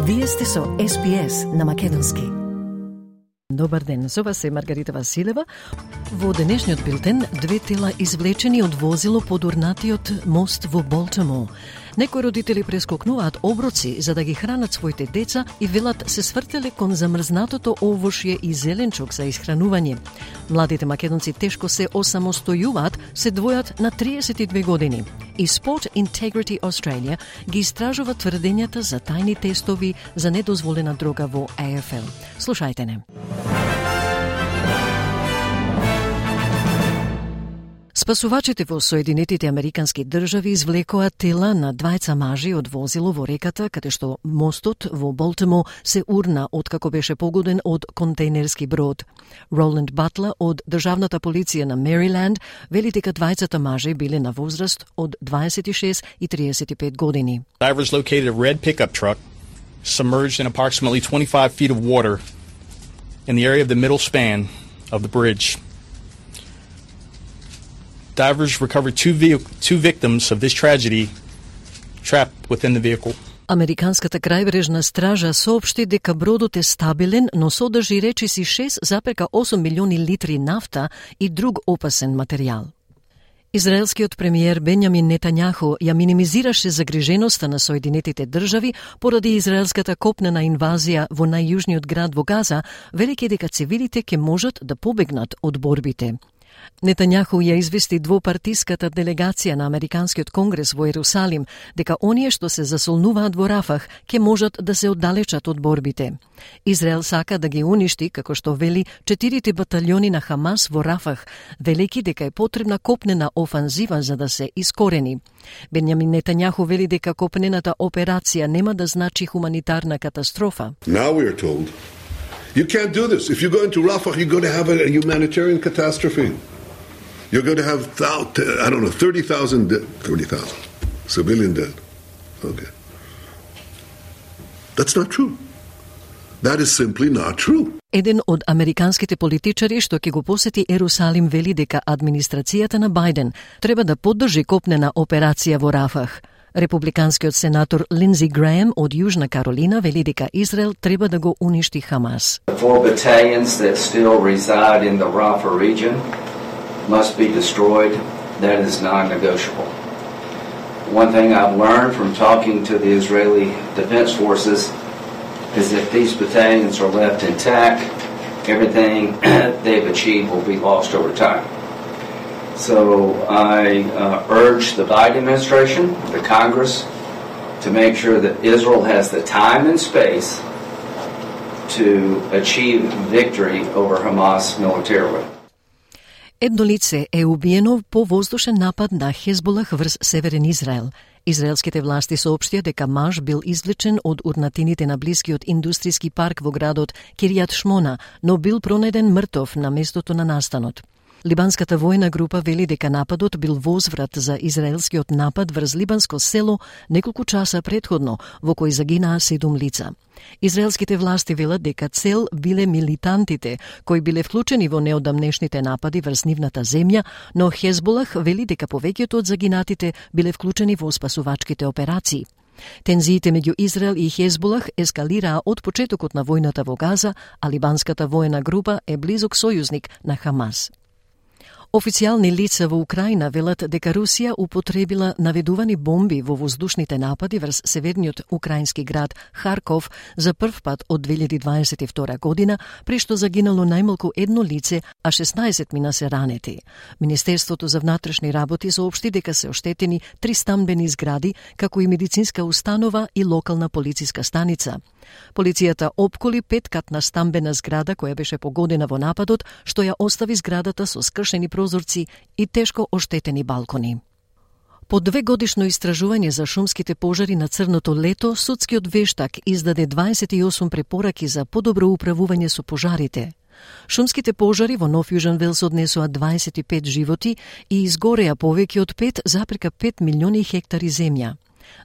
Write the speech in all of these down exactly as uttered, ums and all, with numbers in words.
Вие сте со Ес Би Ес на македонски. Добар ден, со вас е Маргарита Василева. Во денешниот билтен, две тела извлечени од возило под урнатиот мост во Болтимор. Некои родители прескокнуваат оброци за да ги хранат своите деца и велат се свртеле кон замрзнатото овошје и зеленчук за исхранување. Младите македонци тешко се осамостојуваат, се двојат на триесет и две години. И Sport Integrity Australia ги истражува тврдењата за тајни тестови за недозволена дрога во А Ф Л. Слушајте не. Спасувачите во Соединетите Американски држави извлекоа тела на двајца мажи од возило во реката, каде што мостот во Болтимор се урна откако беше погоден од контейнерски брод. Роланд Батлер од Државната полиција на Мериленд вели дека двајцата мажи биле на возраст од дваесет и шест и триесет и пет години. Divers located a red pickup truck submerged in approximately twenty-five feet of water in the area of the middle span of the bridge. Divers recovered two, ve- two victims of this tragedy trapped within the vehicle. Американската крајбрежна стража соопшти дека бродот е стабилен, но содржи речиси шест зарез осум милиони литри нафта и друг опасен материјал. Израелскиот премиер Бенјамин Нетањаху ја минимизираше загриженоста на Соединетите држави поради израелската копнена инвазија во најјужниот град во Газа, велики дека цивилите ќе можат да побегнат од борбите. Нетањаху ја извести двопартиската делегација на Американскиот конгрес во Ерусалим дека оние што се засолнуваат во Рафах ќе можат да се оддалечат од борбите. Израел сака да ги уништи, како што вели, четирите баталјони на Хамас во Рафах, велики дека е потребна копнена офанзива за да се искорени. Бенјамин Нетањаху вели дека копнената операција нема да значи хуманитарна катастрофа. Now we are told you can't do this. If you go into Rafah, you're going to have a humanitarian catastrophe. You're going to have, I don't know, thirty thousand thirty thousand civilian dead. Okay. That's not true. That is simply not true. Еден од американските политичари што ќе го посети Ерусалим вели дека администрацијата на Бајден треба да поддржи копнена операција во Рафах. Републиканскиот сенатор Линдзи Греем од Јужна Каролина вели дека Израел треба да го уништи Хамас. The four battalions that still reside in the Rafah region must be destroyed. That is non-negotiable. One thing I've learned from talking to the Israeli Defense Forces is if these battalions are left intact, everything they've achieved will be lost over time. So I uh, urge the Biden administration, the Congress, to make sure that Israel has the time and space to achieve victory over Hamas militarily. Едно лице е убиено по воздушен напад на Хезболах врз Северен Израел. Израелските власти соопштија дека маж бил извлечен од урнатините на блискиот индустријски парк во градот Киријат Шмона, но бил пронеден мртов на местото на настанот. Либанската војна група вели дека нападот бил возврат за израелскиот напад врз либанско село неколку часа претходно, во кој загинаа седум лица. Израелските власти велат дека цел биле милитантите кои биле вклучени во неодамнешните напади врз нивната земја, но Хезболах вели дека повеќето од загинатите биле вклучени во спасувачките операции. Тензиите меѓу Израел и Хезболах ескалираа од почетокот на војната во Газа, а либанската војна група е близок сојузник на Хамас. Официјални лица во Украина велат дека Русија употребила наведувани бомби во воздушните напади врз северниот украински град Харков за прв пат од две илјади дваесет и втора година, при што загинало најмалку едно лице, а шеснаесет мина се ранети. Министерството за внатрешни работи соопшти дека се оштетени три стамбени згради, како и медицинска установа и локална полициска станица. Полицијата опколи петкатна стамбена зграда која беше погодена во нападот, што ја остави зградата со скршени прозорци и тешко оштетени балкони. По две годишно истражување за шумските пожари на Црното лето, судскиот вештак издаде дваесет и осум препораки за подобро управување со пожарите. Шумските пожари во Нов Јужен Велс однесоа дваесет и пет животи и изгореа повеќе од пет зарез пет милиони хектари земја.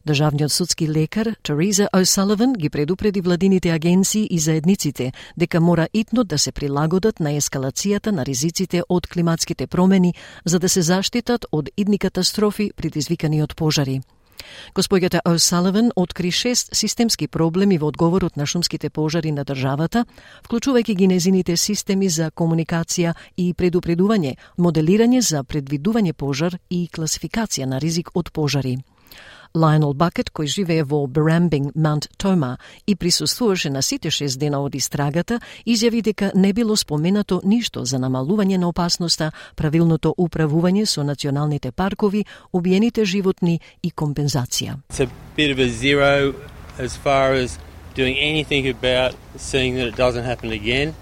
Државниот судски лекар Тереза О'Саливан ги предупреди владините агенции и заедниците дека мора итно да се прилагодат на ескалацијата на ризиците од климатските промени за да се заштитат од идни катастрофи предизвикани од пожари. Господјата О'Саливан откри шест системски проблеми во одговорот на шумските пожари на државата, вклучувајќи ги незините системи за комуникација и предупредување, моделирање за предвидување пожар и класификација на ризик од пожари. Лајонел Бакет, кој живее во Барамбинг, Маунт Тома и присуствуваше на сите шест дена од истрагата, изјави дека не било споменато ништо за намалување на опасноста, правилното управување со националните паркови, убиените животни и компензација. It's a bit of a zero as far as doing anything about seeing that it doesn't happen again.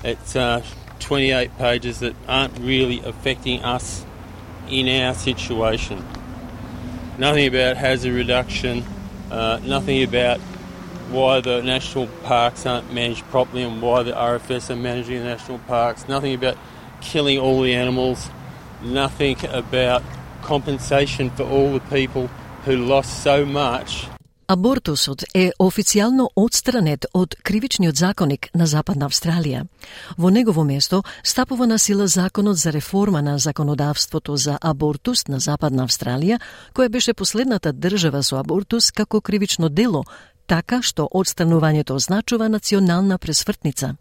It's uh, twenty-eight pages that aren't really affecting us in our situation. Nothing about hazard reduction, uh, nothing about why the national parks aren't managed properly and why the R F S are managing the national parks, nothing about killing all the animals, nothing about compensation for all the people who lost so much. Абортусот е официјално отстранет од кривичниот законник на Западна Австралија. Во негово место стапува на сила законот за реформа на законодавството за абортус на Западна Австралија, која беше последната држава со абортус како кривично дело, така што отстранувањето означува национална пресвртница.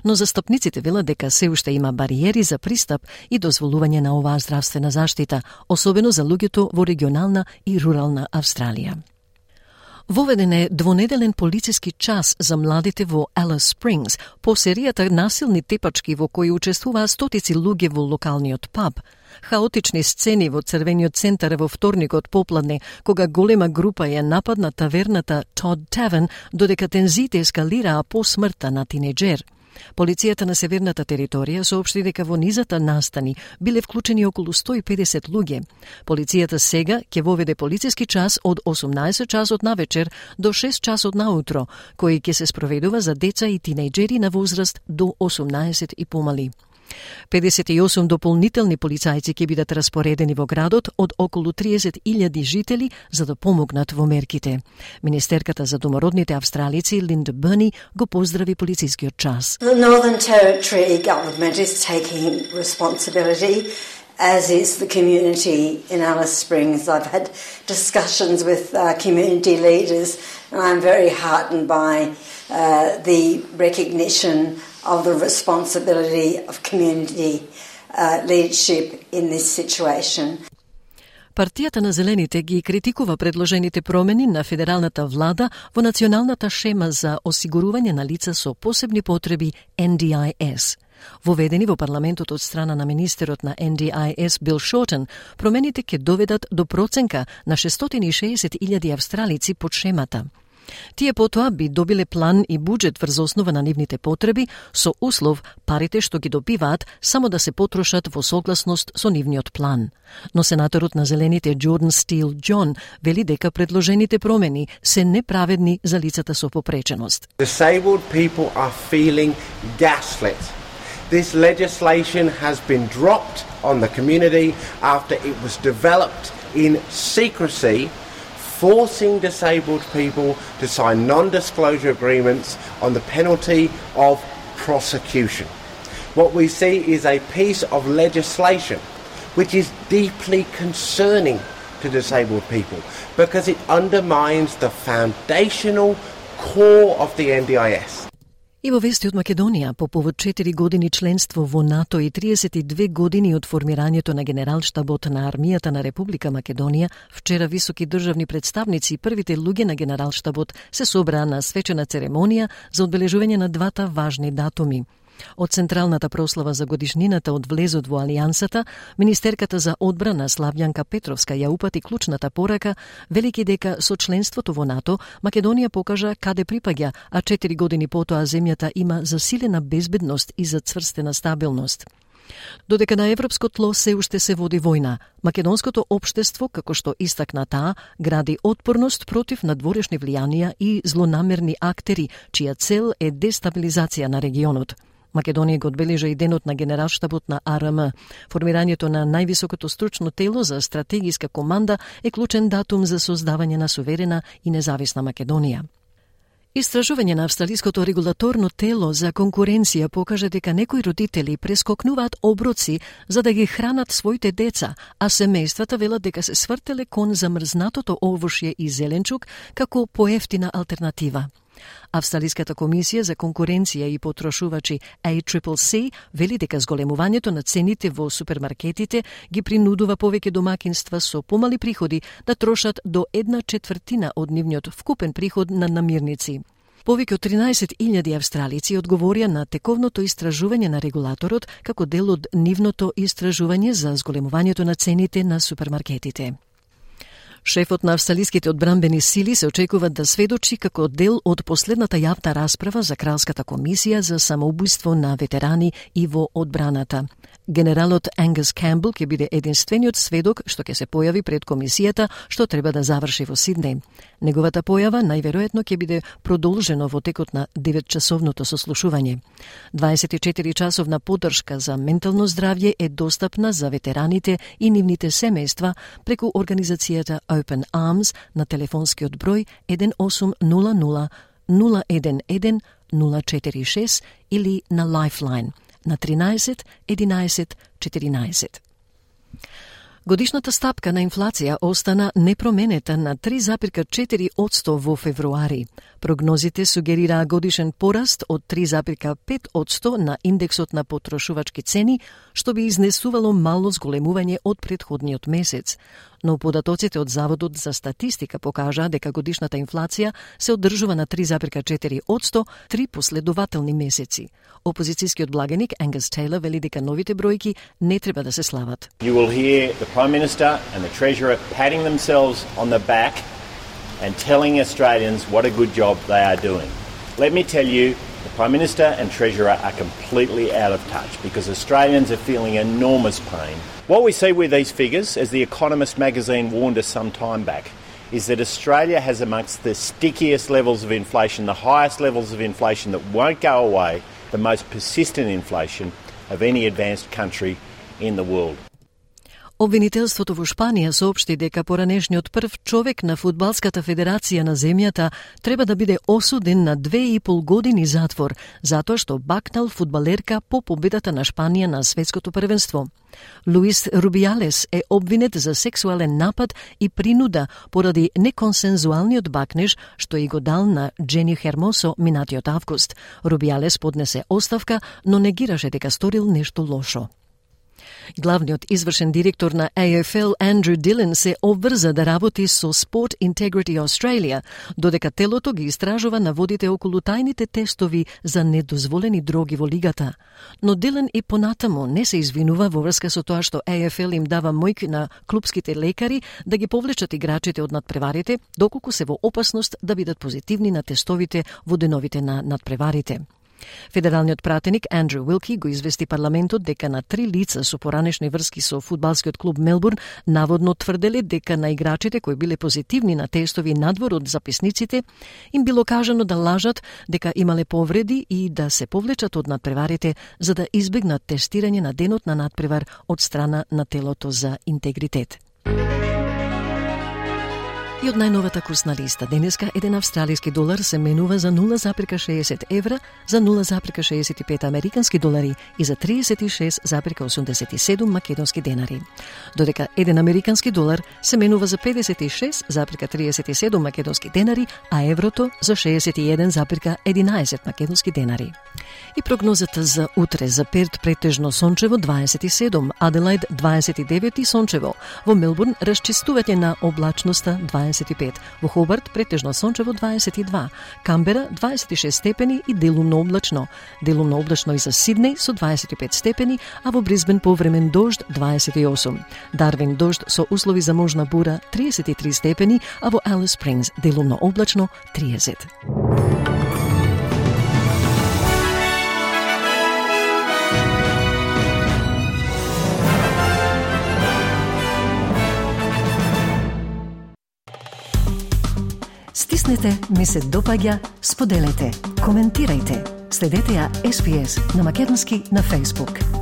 Но застапниците велат дека се уште има бариери за пристап и дозволување на оваа здравствена заштита, особено за луѓето во регионална и рурална Австралија. Воведен е двонеделен полициски час за младите во Алис Спрингс по серијата насилни тепачки во кои учествуваа стотици луѓе во локалниот паб. Хаотични сцени во црвениот центар во вторникот попладне, кога голема група ја нападна таверната Todd Tavern, додека тензиите ескалираа по смртта на тинејџер. Полицијата на северната територија соопшти дека во низата настани биле вклучени околу сто и педесет луѓе. Полицијата сега ќе воведе полициски час од осумнаесет часот навечер до шест часот наутро, кој ќе се спроведува за деца и тинејџери на возраст до осумнаесет и помали. педесет и осум дополнителни полицајци ќе бидат распоредени во градот од околу триесет илјади жители за да помогнат во мерките. Министерката за домородните австралици Линда Бърни го поздрави полицискиот час. The Northern Territory government is taking responsibility, as is the community in Alice Springs. I've had discussions with uh, community leaders, and I'm very heartened by uh, the recognition of the responsibility of community uh, leadership in this situation. Партијата на Зелените ги критикува предложените промени на федералната влада во националната шема за осигурување на лица со посебни потреби Н Д I S. Воведени во парламентот од страна на министерот на Н Д I S Бил Шортен, промените ќе доведат до проценка на шестстотини и шеесет илјади австралици под шемата. Тие потоа би добиле план и буџет врз основа на нивните потреби, со услов парите што ги добиваат само да се потрошат во согласност со нивниот план. Но сенаторот на Зелените Джордан Стил Џон вели дека предложените промени се неправедни за лицата со попреченост. Disabled people are feeling gaslit. This legislation has been dropped on the community after it was developed in secrecy, forcing disabled people to sign non-disclosure agreements on the penalty of prosecution. What we see is a piece of legislation which is deeply concerning to disabled people because it undermines the foundational core of the Н Д I S. И во вести од Македонија, по повод четири години членство во НАТО и триесет и две години од формирањето на Генералштабот на армијата на Република Македонија, вчера високи државни представници и првите луѓе на Генералштабот се собраа на свечена церемонија за одбележување на двата важни датуми. Од централната прослава за годишнината од влезот во Алијансата, министерката за одбрана Славјанка Петровска ја упати клучната порака, велики дека со членството во НАТО Македонија покажа каде припаѓа, а четири години потоа земјата има засилена безбедност и зацврстена стабилност. Додека на европско тло се уште се води војна, македонското општество, како што истакна таа, гради отпорност против надворешни влијанија и злонамерни актери, чија цел е дестабилизација на регионот. Македонија го одбележа и денот на Генералштабот на А Р М. Формирањето на највисокото стручно тело за стратегиска команда е клучен датум за создавање на суверена и независна Македонија. Истражување на австралиското регулаторно тело за конкуренција покажа дека некои родители прескокнуваат оброци за да ги хранат своите деца, а семејствата велат дека се свртеле кон замрзнатото овошје и зеленчук како поевтина алтернатива. Австралиската комисија за конкуренција и потрошувачи А Си Си Си вели дека зголемувањето на цените во супермаркетите ги принудува повеќе домакинства со помали приходи да трошат до една четвртина од нивниот вкупен приход на намирници. Повеќе од тринаесет илјади австралици одговорија на тековното истражување на регулаторот како дел од нивното истражување за зголемувањето на цените на супермаркетите. Шефот на австралиските одбранбени сили се очекува да сведочи како дел од последната јавна расправа за Кралската комисија за самоубиство на ветерани и во одбраната. Генералот Ангус Камбел ќе биде единствениот сведок што ќе се појави пред комисијата што треба да заврши во Сиднеј. Неговата појава најверојатно ќе биде продолжено во текот на деветчасовното сослушување. дваесет и четири часовна поддршка за ментално здравје е достапна за ветераните и нивните семејства преку организацијата Open Arms на телефонскиот број еден осум нула нула нула еден еден нула четири шест или на Lifeline на тринаесет единаесет четиринаесет. Годишната стапка на инфлација остана непроменета на три запирка четири одсто во февруари. Прогнозите сугерираа годишен пораст од три запирка пет одсто на индексот на потрошувачки цени, што би изнесувало мало зголемување од претходниот месец. Но податоците од Заводот за статистика покажаа дека годишната инфлација се одржува на три запирка четири одсто три последователни месеци. Опозицијскиот благеник Ангус Тейлор вели дека новите бројки не треба да се слават. You will hear the Prime Minister and the Treasurer patting themselves on the back and telling Australians what a good job they are doing. Let me tell you, the Prime Minister and Treasurer are completely out of touch because Australians are feeling enormous pain. What we see with these figures, as The Economist magazine warned us some time back, is that Australia has amongst the stickiest levels of inflation, the highest levels of inflation that won't go away, the most persistent inflation of any advanced country in the world. Обвинителството во Шпанија соопшти дека поранешниот прв човек на Фудбалската федерација на земјата треба да биде осуден на две и пол години затвор, затоа што бакнал фудбалерка по победата на Шпанија на светското првенство. Луис Рубиалес е обвинет за сексуален напад и принуда поради неконсензуалниот бакнеж што и го дал на Джени Хермосо минатиот август. Рубиалес поднесе оставка, но негираше дека сторил нешто лошо. Главниот извршен директор на А Ф Л Андрю Дилен се обврза да работи со Sport Integrity Australia, додека телото ги истражува наводите околу тајните тестови за недозволени дроги во лигата. Но Дилен и понатаму не се извинува во врска со тоа што А Ф Л им дава мојк на клупските лекари да ги повлечат играчите од надпреварите, доколку се во опасност да бидат позитивни на тестовите во деновите на надпреварите. Федералниот пратеник Андрю Уилки го извести парламентот дека на три лица со поранешни врски со фудбалскиот клуб Мелбурн наводно тврделе дека на играчите кои биле позитивни на тестови надвор од записниците им било кажано да лажат дека имале повреди и да се повлечат од надпреварите за да избегнат тестирање на денот на надпревар од страна на телото за интегритет. И од најновата курсна листа, денеска еден австралиски долар се менува за нула запирка шеесет евра, за нула запирка шеесет и пет американски долари и за триесет и шест запирка осумдесет и седум македонски денари. Додека еден американски долар се менува за педесет и шест запирка триесет и седум македонски денари, а еврото за шеесет и еден запирка единаесет македонски денари. И прогнозата за утре: за Перт претежно сончево дваесет и седум, Аделаид дваесет и девет и сончево, во Мелбурн расчистување на облачноста дваесет и пет, во Хобарт претежно сончево дваесет и два, Камбера дваесет и шест степени и делумно облачно, делумно облачно и за Сиднеј со дваесет и пет степени, а во Брисбен повремен дожд дваесет и осум, Дарвин дожд со услови за можна бура триесет и три степени, а во Алис Спрингс делумно облачно триесет. Стиснете, ми се допаѓа, споделете, коментирајте. Следете ја С Б С на македонски на Facebook.